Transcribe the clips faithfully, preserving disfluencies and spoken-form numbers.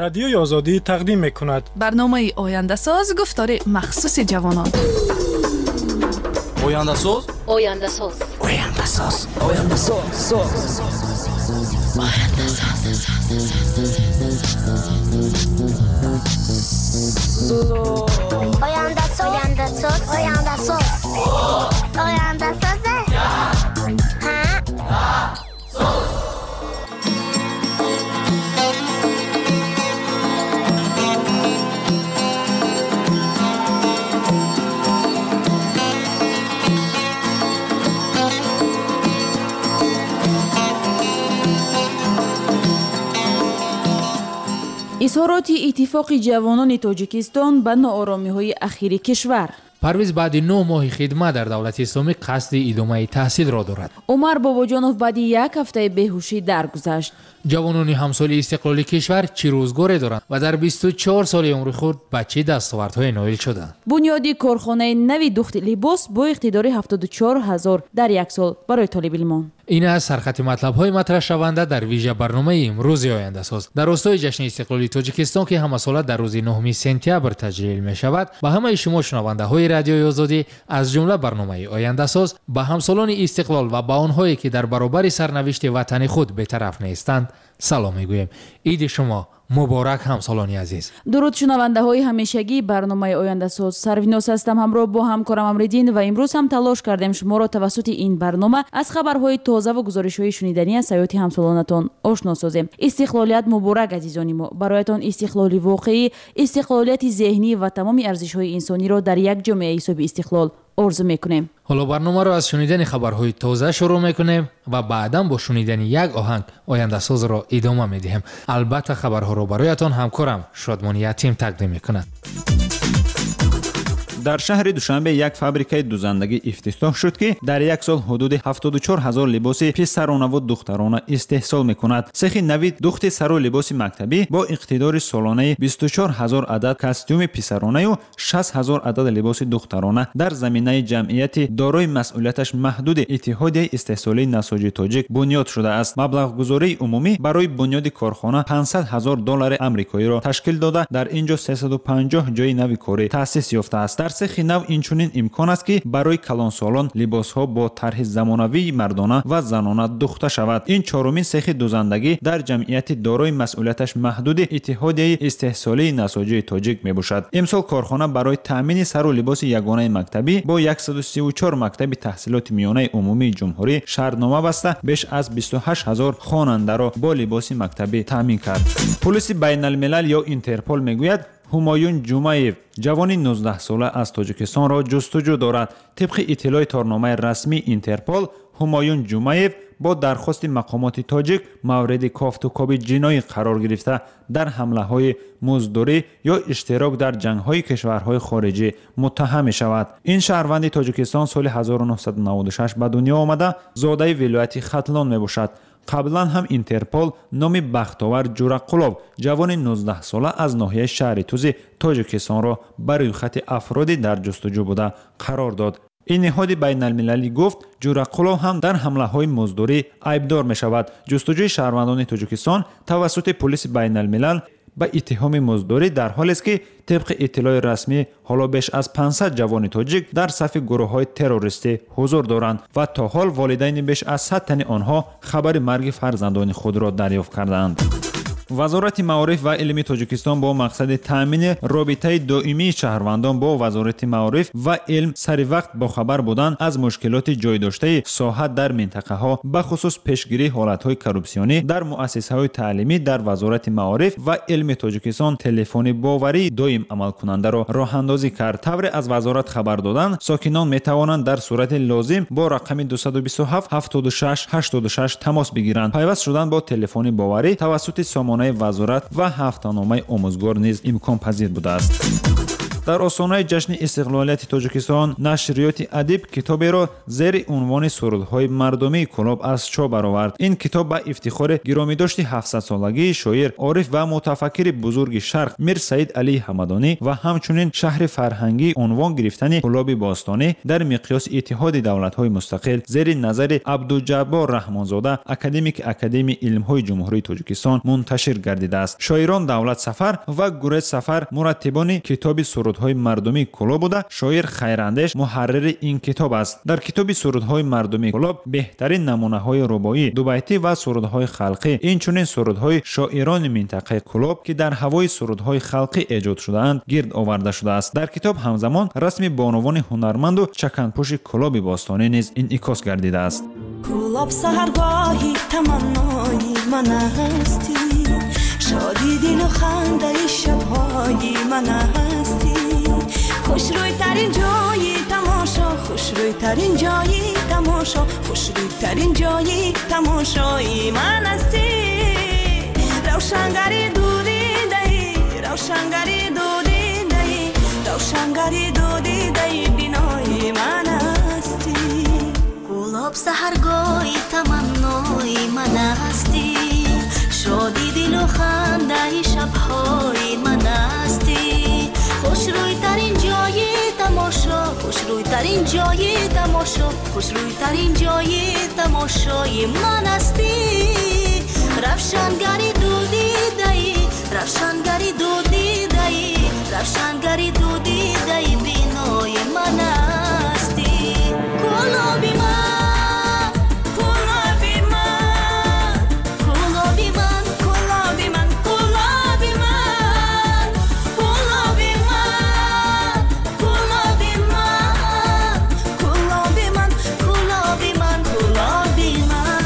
Радиои Озодӣ тақдим мекунад. Барномаи Ояндасоз, гуфтори махсуси ҷавонон. Ояндасоз, Ояндасоз, Ояндасоз, Ояндасоз, Ояндасоз, Ояндасоз, Ояндасоз, Ояндасоз. Ҳа. Изҳороти Иттифоқи ҷавонони Тоҷикистон ба нооромиҳои ахири кишвар. Парвиз баъди нӯҳ моҳи хидмат дар давлати исломӣ қасди идомаи таҳсилро дорад. Умар Бобоҷонов баъди як ҳафтаи беҳушӣ даргузашт. Ҷавонони ҳамсоли истиқлоли кишвар чӣ рӯзгоре доранд ва дар бисту чор соли умри худ ба чӣ дастовардҳое ноил шуданд? Бунёди корхонаи нави духти либос бо иқтидори ҳафтоду чор ҳазор дар як сол барои толибилмон. Ин аз сархати матлабҳои матраҳшаванда дар вижа барномаи имрӯзи Ояндасоз. Дар ростои ҷашни истиқлоли Тоҷикистон, ки ҳамасола дар рӯзи нӯҳуми сентябр таҷлил мешавад, ба ҳамаи шумо шунавандаҳои Радиои Озодӣ, аз ҷумла барномаи Ояндасоз, ба ҳамсолони истиқлол ва ба онҳое, ки дар баробари сарнавишти ватани худ бетараф нестанд, салом мегӯем. Иди шумо муборак, ҳамсолони азиз. Дуруд шунавандаҳои ҳамешагии барномаи Ояндасоз. Сарвиноз ҳастам ҳамроҳ бо ҳамкорам Амриддин ва имрӯз ҳам талош кардем шуморо тавассути ин барнома аз хабарҳои тоза ва гузоришҳои шуниданӣ аз ҳаёти ҳамсолонатон ошно созем. Истиқлолият муборак, азизони мо. Бароятон истиқлоли воқеӣ, истиқлолияти зеҳнӣ ва тамоми арзишҳои инсониро дар як ҷомеаи ҳисоби истиқлол орзу мекунем. Ҳоло барномаро аз шунидани хабарҳои тоза шурӯъ мекунем ва баъдан бо шунидани як оҳанг Ояндасозро идома медиҳем. Албатта хабарҳоро бароятон ҳамкорам Шодмон Ятим тақдим мекунад. Дар шаҳри Душанбе як фабрикаи дузандагӣ ифтитоҳ шуд, ки дар як сол ҳудуди ҳафтоду чор ҳазор либоси писаронаву духтарона истеҳсол мекунад. Сехи нави духти сару либоси мактабӣ бо иқтидори солонаи бисту чор ҳазор адад костюми писаронаю шаст ҳазор адад либоси духтарона дар заминаи ҷамъияти дорои масъулияташ маҳдуди Иттиҳодияи истеҳсолии насоҷи тоҷик бунёд шудааст. Маблағгузории умумӣ барои бунёди корхона панҷсад ҳазор доллари амрикоиро ташкил дода, дар ин ҷо сесаду панҷоҳ ҷои нави корӣ таъсис ёфтааст. Дар сехи нав инчунин имкон аст, ки барои калонсолон либосҳо бо тарҳи замонавии мардона ва занона духта шавад. Ин чорумин сехи дузандагӣ дар ҷамъияти дорои масъулияташ маҳдуди Иттиҳодияи истеҳсолии насоҷии тоҷик мебошад. Имсол корхона барои таъмини сару либоси ягонаи мактабӣ бо яксаду сию чор мактаби таҳсилоти миёнаи умумии ҷумҳурӣ шартнома баста, беш аз бисту ҳашт ҳазор хонандаро бо либоси мактабӣ таъмин кард. Полиси байналмилал ё Интерпол мегӯяд, Ҳумоюн Ҷумаев, ҷавони нуздаҳсола аз Тоҷикистонро ҷустуҷӯ дорад. Тибқи иттилои торномаи расмии Интерпол, Ҳумоюн Ҷумаев бо дархости мақомоти тоҷик мавриди кофтукоби ҷиноӣ қарор гирифта, дар ҳамлаҳои муздурӣ ё иштирок дар ҷангҳои кишварҳои хориҷӣ муттаҳам мешавад. Ин шаҳрванди Тоҷикистон соли ҳазору нӯҳсаду наваду шаш ба дунё омада, зодаи вилояти Хатлон мебошад. Қаблан ҳам Интерпол номи Бахтовар Ҷурақулов, ҷавони нуздаҳсола аз ноҳияи шаҳри Тузи Тоҷикистонро ба рӯйхати афроди дар ҷустуҷӯ буда қарор дод. Ин ниҳоди байналмилалӣ гуфт, Ҷурақулов ҳам дар ҳамлаҳои муздурӣ айбдор мешавад. Ҷустуҷӯи шаҳрвандони Тоҷикистон тавассути полиси байналмилал ба иттиҳоми муздурӣ дар ҳолест, ки тибқи иттилои расмӣ ҳоло беш аз панҷсад ҷавони тоҷик дар сафи гурӯҳҳои террористӣ ҳузур доранд ва то ҳол волидайни беш аз сад тани онҳо хабари марги фарзандони худро дарёфт кардаанд. Вазорати маориф ва илми Тоҷикистон бо мақсади таъмини робитаи доимии шаҳрвандон бо Вазорати маориф ва илм сари вақт бохабар будан аз мушкилоти ҷойдоштаи соҳа дар минтақаҳо, бахусус пешгирии ҳолатҳои коррупсионӣ дар муассисаҳои таълимӣ дар Вазорати маориф ва илми Тоҷикистон телефони боварии доим амалкунандаро роҳандозӣ кард. Тавре аз вазорат хабар доданд, сокинон метавонанд дар сурати лозим бо рақами дусаду бисту ҳафт ҳафтоду шаш ҳаштоду шаш тамос бигиранд. Пайваст шудан бо телефони боварӣ тавассути сомонаи вазорат ва ҳафтаномаи омӯзгор низ имконпазир будааст. Дар остонаи ҷашни истиқлолияти Тоҷикистон нашриёти Адиб китоберо зери унвони сурудҳои мардумии Кӯлоб аз чоп баровард. Ин китоб ба ифтихори гиромидошти ҳафтсадсолагии шоир, ориф ва мутафаккири бузурги Шарқ Мир Саид Алии Ҳамадонӣ ва ҳамчунин шаҳри фарҳангӣ унвон гирифтани Кӯлоби бостонӣ дар миқёси Иттиҳоди давлатҳои мустақил зери назари Абдуҷаббор Раҳмонзода, академики Академияи илмҳои Ҷумҳурии Тоҷикистон мунташир гардидааст. Шоирон Давлат Сафар ва Гурез Сафар мураттибони китоби сурудҳои мардумии Кӯлоб буда, шоир Хайрандеш муҳаррири ин китоб аст. Дар китоби сурудҳои мардумии Кӯлоб беҳтарин намунаҳои рубоӣ, дубайтӣ ва сурудҳои халқӣ, инчунин сурудҳои шоирони минтақаи Кӯлоб, ки дар ҳавои сурудҳои халқӣ эҷод шудаанд, гирд оварда шудааст. Дар китоб ҳамзамон расми бонувони ҳунарманду чаканпӯши Кӯлоби бостонӣ низ инъикос гардидааст. Кӯлоб саҳаргоҳи таманнои ман ҳастӣ, шоди дилу хандаи шабҳои ман ҳастӣ, хушрӯйтарин ҷои тамошо, хушрӯйтарин ҷои тамошо, хушрӯйтарин ҷои тамошои ман ҳастӣ. Равшангари дудидаи, равшангари дудидаи, равшангари дудидаи бинои ман ҳастӣ. Кӯлоб саҳаргоҳи таманнои ман ҳастӣ, шоди дилу хандаи шабҳои ман ҳастӣ, хушрӯйтарин ҷои тамошо, хушрӯйтарин ҷои тамошо, хушрӯйтарин ҷои тамошои ман ҳастӣ. Равшангари дудидаи, равшангари дудидаи, равшангари дудидаи бинои ман ҳастӣ. Кӯлоби ман, Кӯлоби ман, Кӯлоби ман, Кӯлоби ман, Кӯлоби ман, Кӯлоби ман, Кӯлоби ман, Кӯлоби ман, Кӯлоби ман, Кӯлоби ман.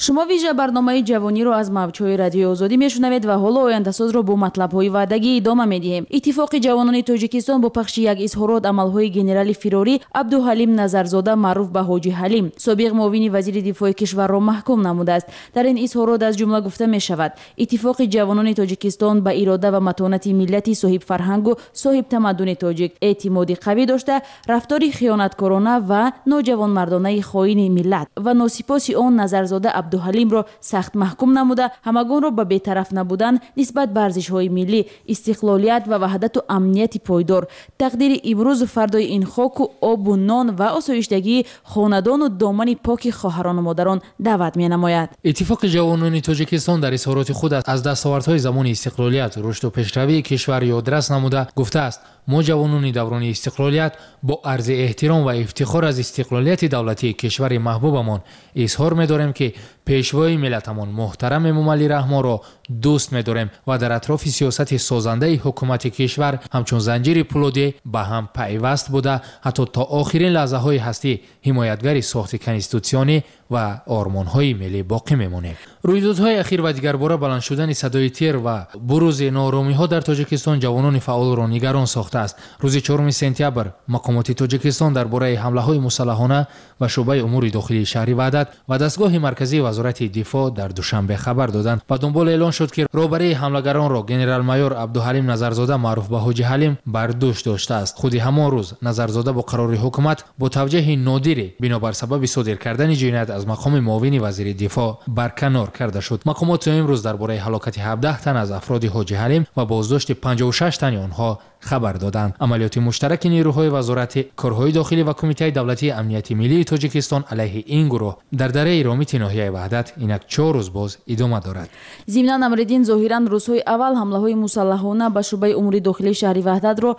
Шумо вижа барномаи ҷавониро аз мавҷҳои Радиои Озодӣ мешунавед ва ҳоло ояндасозро бо матлабҳои ваъдагӣ идома медиҳем. Иттифоқи ҷавонони Тоҷикистон бо пахши як изҳорот амалҳои генерали фирорӣ Абдуҳалим Назарзода маъруф ба Ҳоҷи Ҳалим, собиқ муовини вазири дифои кишварро маҳкум намудааст. Дар ин изҳорот аз ҷумла гуфта мешавад: Иттифоқи ҷавонони Тоҷикистон ба ирода ва матонати миллати соҳибфарҳангу соҳибтамаддуни тоҷик эътимоди қавӣ дошта, рафтори хиёнаткорона ва ноҷавонмардонаи хоини миллат ва носипоси он Назарзода Абдуҳалимро сахт маҳкум намуда, ҳамагонро ба бетараф набудан нисбат ба арзишҳои миллӣ, истиқлолият ва ваҳдату амнияти пойдор, тақдири имрӯзу фардои ин хоку обу нон ва осоиштагии хонадону домани поки хоҳарону модарон даъват менамояд. Иттифоқи ҷавонони Тоҷикистон дар изҳороти худ аз дастовардҳои замони истиқлолият, рушду пешравии кишвар ёдрас намуда гуфтааст: мо ҷавонони даврони истиқлолият бо арзи эҳтиром ва ифтихор аз истиқлолияти давлатии кишвари маҳбубамон изҳор медорем, ки пешвои миллатамон муҳтарам Эмомалӣ Раҳмонро дӯст медорем ва дар атрофи сиёсати созандаи ҳукумати кишвар ҳамчун занҷири пулодӣ ба ҳам пайваст буда, ҳатто то охирин лаҳзаҳои ҳастӣ ҳимоятгари сохти конститутсионӣ ва ормонҳои миллӣ боқӣ мемонем. Рӯйдодҳои ахир ва дигарбора баланд шудани садои тир ва бурузи нооромиҳо дар Тоҷикистон ҷавонони фаъолро нигарон сохтааст. Рӯзи чоруми сентябр мақомоти Тоҷикистон дар бораи ҳамлаҳои мусаллаҳона ба шӯъбаи умури дохилии шаҳри Ваҳдат ва дастгоҳи марказии вазорати дифоъ дар Душанбе хабар доданд. Ба дунбол эълон шуд, ки роҳбарии ҳамлагаронро генерал-майор Абдуҳалим Назарзода маъруф ба Ҳоҷи Ҳалим бар дӯш доштааст. Худи ҳамон рӯз Назарзода бо қарори ҳукумат бо тавҷеҳи нодире бинобар сабаби содир кардани ҷиноят аз мақоми муовини вазири дифоъ барканор карда шуд. Мақомот то имрӯз дар бораи ҳалокати ҳабдаҳ тан аз афроди Ҳоҷи Ҳалим ва боздошти панҷоҳу шаш тани онҳо хабар доданд. Амалиёти муштараки нерӯҳои вазорати корҳои дохилӣ ва Кумитаи давлатии амнияти миллии Тоҷикистон алайҳи ин гурӯҳ дар дараи Ромити ноҳияи Ваҳдат инак чор рӯз боз идома дорад. Зимнан Амриддин, зоҳиран рӯзҳои аввал ҳамлаҳои мусаллаҳона ба шӯъбаи умури дохилии шаҳри Ваҳдатро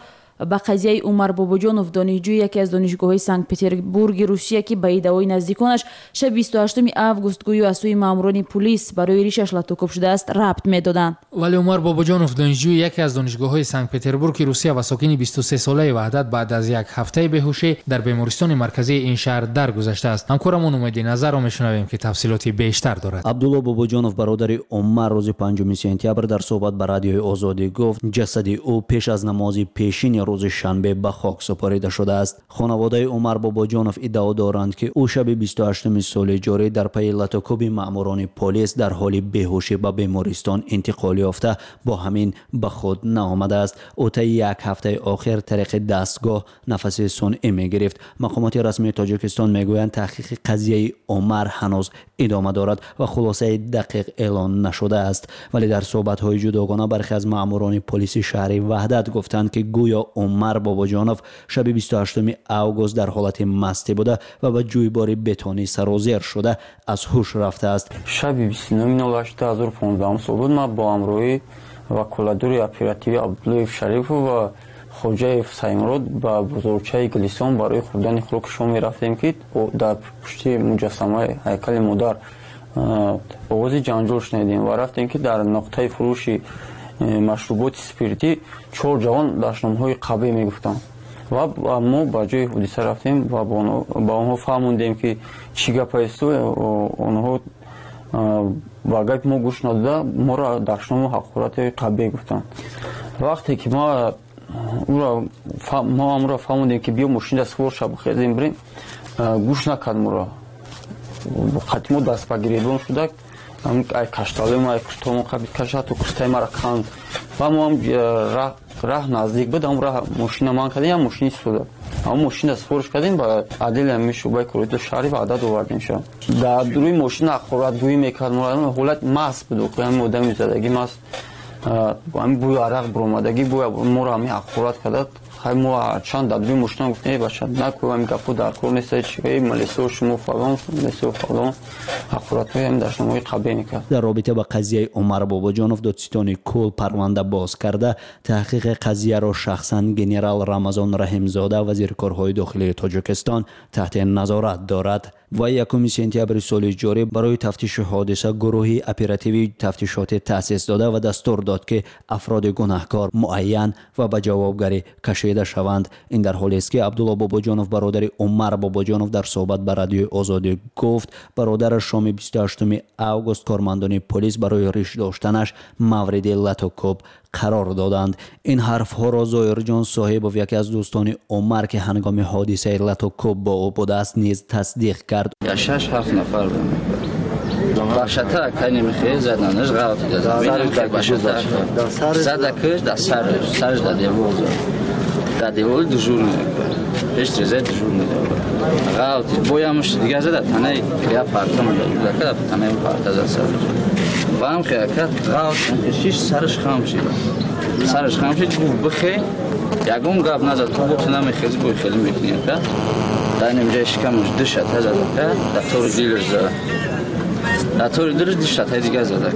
ба қазияи Умар Бобоҷонов, донишҷӯи яке аз донишгоҳҳои Санкт-Петербурги Русия, ки ба иддаои наздиконаш шаби бисту ҳаштуми август гӯё аз сӯи маъмурони пулис барои ришаш латукӯб шудааст, рабт медоданд. Вале Умар Бобоҷонов, донишҷӯи яке аз донишгоҳҳои Санкт-Петербурги Русия ва сокини бисту се солаи Ваҳдат, баъд аз як ҳафтаи беҳушӣ дар бемористони марказии ин шаҳр даргузаштааст. Ҳамкорамон Умеди Назарро мешунавем, ки тафсилоти бештар дорад. Абдулло Бобоҷонов, бародари Умар, рӯзи панҷуми сентябр дар суҳбат ба Радиои Озодӣ гуфт, ҷасади ӯ пеш аз намози пешини рӯзи шанбе ба хок супорида шудааст. Хонаводаи Умар Бобоҷонов иддао доранд, ки ӯ шаби бисту ҳаштуми соли ҷорӣ дар пайи латукӯби маъмурони полис дар ҳоли беҳушӣ ба бемористон интиқол ёфта, бо ҳамин ба худ наомадааст. Ӯ таи як ҳафтаи охир тариқи дастгоҳ нафаси сунъӣ мегирифт. Мақомоти расмии Тоҷикистон мегӯянд, таҳқиқи қазияи Умар ҳанӯз идома дорад ва хулосаи дақиқ эълон нашудааст. Вале дар суҳбатҳои ҷудогона бархе аз маъмурони полиси шаҳри Ваҳдат гуфтанд, ки гӯё Умар Бобоҷонов шаби бисту ҳаштуми август дар ҳолати мастӣ буда ва ба ҷӯйбори бетонӣ сарозер шуда аз ҳуш рафтааст. Шаби бисту нуҳуми нол ҳашт ду ҳазору понздаҳум сол буд. Ман бо ҳамроҳӣ ваколадори оперативӣ Абдуллоев Шарифов ва Хоҷаев Саймурод ба бозорчаи Гулистон барои хӯрдани хӯроки шом мерафтем, ки дар пушти муҷассамаи ҳайкали модар оғози ҷанҷол шунидем ва рафтем, ки дар нуқтаи фурӯши машруботи спиртӣ чор ҷавон дашномҳои қабеҳ мегуфтанд ва мо ба ҷои ҳодиса рафтем ва ба онҳо фаҳмондем, ки чӣ гапаесту онҳо ба гапи мо гӯш надода моро дашному ҳақорати қабеҳ гуфтанд. Вақте ки мо мо амро фаҳмондем, ки биё мошинда сувор ша бихезем бирем, гӯш накард моро. Қати мо даст ба гиребон шуда, ай кашталои ай куртомо қабид каша, ҳатто куртаи мара канд. Ва мо ҳам раҳ наздик буд, ҳам раҳ мошина ман кардем, ям мошини истода. Ҳам мошина супориш кардем, ба адели ҳами шӯъбаи кории шаҳри Ваҳдат овардем ша. Дар рӯи мошина ҳақоратгӯӣ мекард, ҳолат маст буд, ҳами одами задагӣ маст, ҳами бӯи арақ буромадагӣ, бӯи моро ҳами ҳақорат карда. Хай мо чанд дар рӯи мошина гуфтем, эй бача, накӯ ҳами гапҳо дар кор нест, эй малисо шумо фалон, малисо фалон, ҳақоратҳои ҳами дашномҳои қабеҳ мекард. Дар робита ба қазияи Умар Бобоҷонов додситони кул парванда боз карда, таҳқиқи қазияро шахсан генерал Рамазон Раҳимзода, вазири корҳои дохилии Тоҷикистон, таҳти назорат дорад. Ва якуми сентябри соли ҷорӣ барои тафтиши ҳодиса гурӯҳи оперативии тафтишотӣ таъсис дода ва дастур дод, ки афроди гунаҳкор муайян ва ба ҷавобгарӣ кашида шаванд. Ин дар ҳолест, ки Абдулло Бобоҷонов, бародари Умар Бобоҷонов, дар суҳбат ба Радиои Озодӣ гуфт, бародараш шоми бисту ҳаштуми август кормандони полис барои риш доштанаш мавриди латукӯб қарор доданд. Ин ҳарфҳоро Зоирҷон Соҳибов, яке аз дӯстони Умар, ки ҳангоми ҳодисаи латукӯб бо ӯ будааст, низ тасдиқ кард. Шаш ҳафт нафар башата кани мехе заданаш ғалат зада, киш дар сараш, сараш дар девор зад, дар девори дежурный пеш трезе дежурный ғалат боямш дигар зада, танаи я парта муда, танаи парта зад сараш. Баам хеякат ғалат шиш сараш хам шид, сараш хам шид, гуфт бихе, ягон гап назад, ту бо намехези, бо хеле мекунӣ ака. Дар инҷа шикамаш ду шата зада, дар тори дилаш зада, дар тори дилаш ду шатаи дигар зада,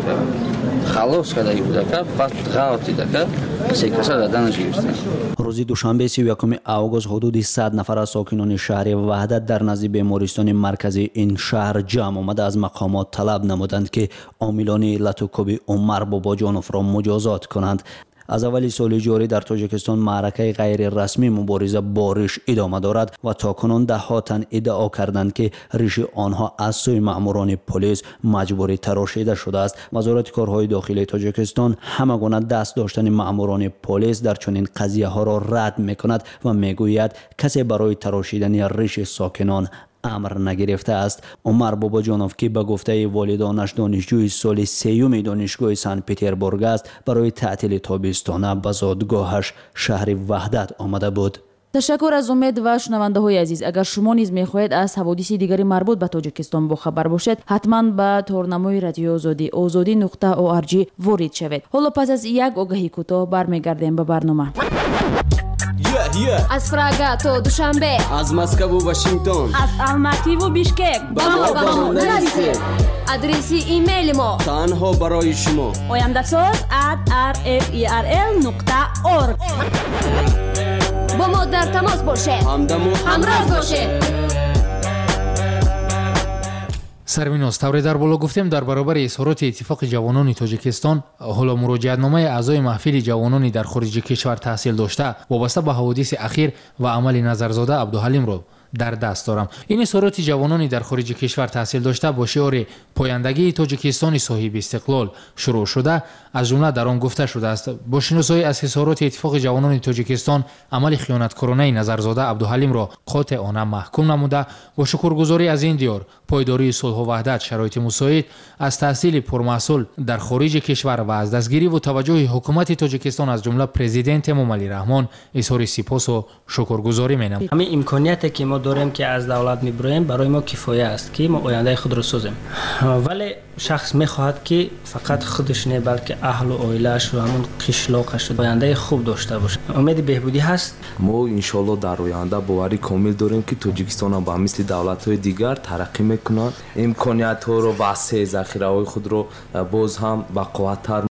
халос кардаги будака, баъд ғалат дидака, се каса заданаш гирифтем. Рӯзи душанбе сию якуми август ҳудуди сад нафар аз сокинони шаҳри Ваҳдат дар назди бемористони марказии ин шаҳр ҷамъ омада аз мақомот талаб намуданд, ки омилони латукӯби Умар Бобоҷоновро муҷозот кунанд. Аз аввали соли ҷорӣ дар Тоҷикистон маъракаи ғайрирасмӣ мубориза бо риш идома дорад ва то кунун даҳҳо тан иддао карданд, ки риши онҳо аз сӯи маъмурони полис маҷбурӣ тарошида шудааст. Вазорати корҳои дохилии Тоҷикистон ҳама гуна даст доштани маъмурони полис дар чунин қазияҳоро рад мекунад ва мегӯяд, касе барои тарошидани риши сокинон амр нагирифтааст. Умар Бобоҷонов, ки ба гуфтаи волидонаш донишҷӯи соли сеюми донишгоҳи Санкт-Петербург аст, барои таътили тобистона ба зодгоҳаш шаҳри Ваҳдат омада буд. Ташаккур аз Умед ва шунавандаҳои азиз. Агар шумо низ мехоҳед аз ҳаводиси дигари марбут ба Тоҷикистон бохабар бошед, ҳатман ба торнамои Радиои Озодӣ озодӣ нуқта орг ворид шавед. Ҳоло пас аз як огаҳи кӯтоҳ бармегардем ба барнома. Аз Прага то Душанбе, аз Москву Вашингтон, аз Алмативу Бишкек ба мо ба мо нависед. Адреси имейли мо танҳо барои шумо ояндасоз at r f e r l нуқта org. Бо мо дар тамос бошед, ҳамдаму ҳамроз бошед. Сарвиноз, тавре дар боло гуфтем, дар баробари изҳороти Иттифоқи ҷавонони Тоҷикистон ҳоло муроҷиатномаи аъзои маҳфили ҷавонони дар хориҷи кишвар таҳсил дошта вобаста ба ҳаводиси ахир ва амали Назарзода Абдуҳалимро дар даст дорам. Ин изҳороти ҷавонони дар хориҷи кишвар таҳсил дошта бо шиори пояндагии Тоҷикистони соҳиби истиқлол шурӯъ шуда, аз ҷумла дар он гуфта шудааст: бо шиносоӣ аз изҳороти Иттифоқи ҷавонони Тоҷикистон амали хиёнаткоронаи Назарзода Абдуҳалимро қотеона маҳкум намуда, бо шукргузорӣ аз ин диёр, пойдории сулҳу ваҳдат, шароити мусоид, аз таҳсили пурмаҳсул дар хориҷи кишвар ва аз дастгириву таваҷҷӯҳи ҳукумати Тоҷикистон, аз ҷумла президент Эмомалӣ Раҳмон, изҳори сипосу шукргузорӣ менамояд. Ҳамин имконияте ки мо дорем, ки аз давлат мебироем, барои мо кифоя аст, ки мо ояндаи худро созем. Вале шахс мехоҳад, ки фақат худаш не, балки аҳлу оилааш ва ҳамон қишлоқаш ояндаи хуб дошта бошад. Умеди беҳбудӣ ҳаст. Мо иншоалло дар оянда боварӣ комил дорем, ки Тоҷикистон ҳам ба мисли давлатҳои дигар тараққӣ мекунад, имкониятҳоро васеъ, захираҳои худро боз ҳам бақувваттар